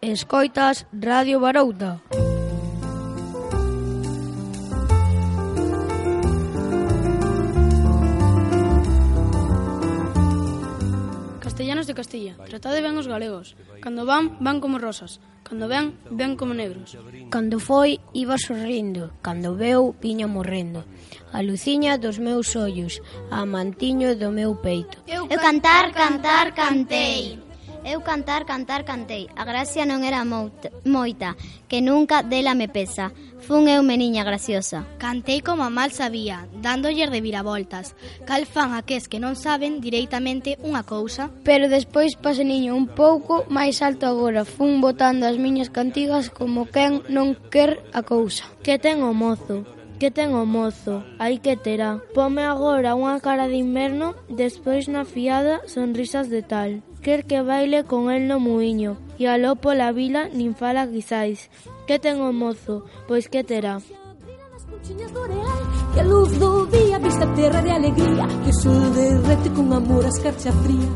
Escoitas Radio Barouta. Castellanos de Castilla, tratade ben os galegos. Cando van, van como rosas. Cando ven, ven como negros. Cando foi, iba sorrindo. Cando veu, viña morrendo. A luciña dos meus ollos, a mantiño do meu peito. Eu cantar, cantei. Eu cantar, cantei. A gracia non era moita, que nunca dela me pesa. Fun eu meniña graciosa. Cantei como a mal sabía, dándolles de viravoltas. Cal fan aqués que non saben directamente unha cousa. Pero despois paseniño un pouco máis alto agora. Fun botando as miñas cantigas como quen non quer a cousa. Que ten o mozo? Que ten o mozo? Aí que terá. Pome agora unha cara de inverno, despois na fiada sonrisas de tal. Quer que baile con el no muiño, e aló pola vila nin fala quizais. Que ten o mozo? Pois que terá. Que a luz do día vista terra de alegría, que o sol derrete con amor a escarcha fría.